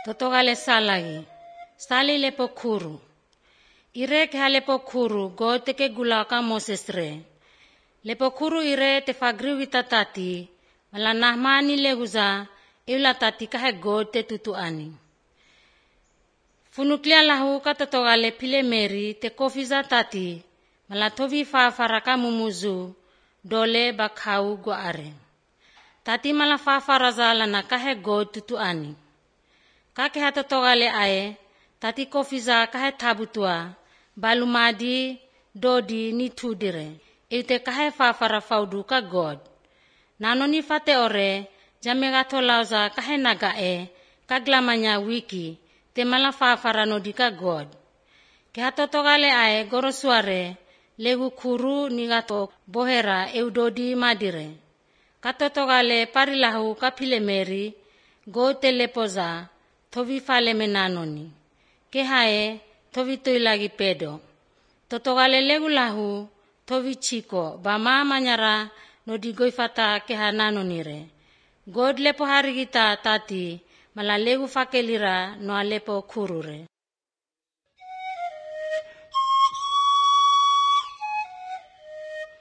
Totogale salagi, sali lepo kuru. Ire ke ha lepo kuru go teke gulaka Moses re. Lepo kuru ire te fagriwi tatati, mala nahmani lehuza, iula tati kahe go te tutuani. Funuklia lahu ka totogale pile meri te kofiza tati, mala tovi fafaraka mumuzu, dole bakau go are. Tati mala fafaraza lana kahe go tutuani. Kake hatotogale ae, tati kofiza kahe tabutua, balumadi, dodi ni tudire. Eute kahe fafara faudu ka God. Nanoni fate ore, jamegato lauza kahe nagae, kaglamanya wiki, te mala fafara nodi ka God. Ke hatotogale ae gorosuare, legu kuru nigato bohera eudodi madire. Katotogale parilahu kapile meri, go telepoza, tovi fale menanoni. Ke hae, tovi tuilagi pedo. Totogale legu lahu, tovi chiko, ba mama nyara no di goifata ke hananonire. God lepo harigita tati, mala legu fakelira no alepo kurure.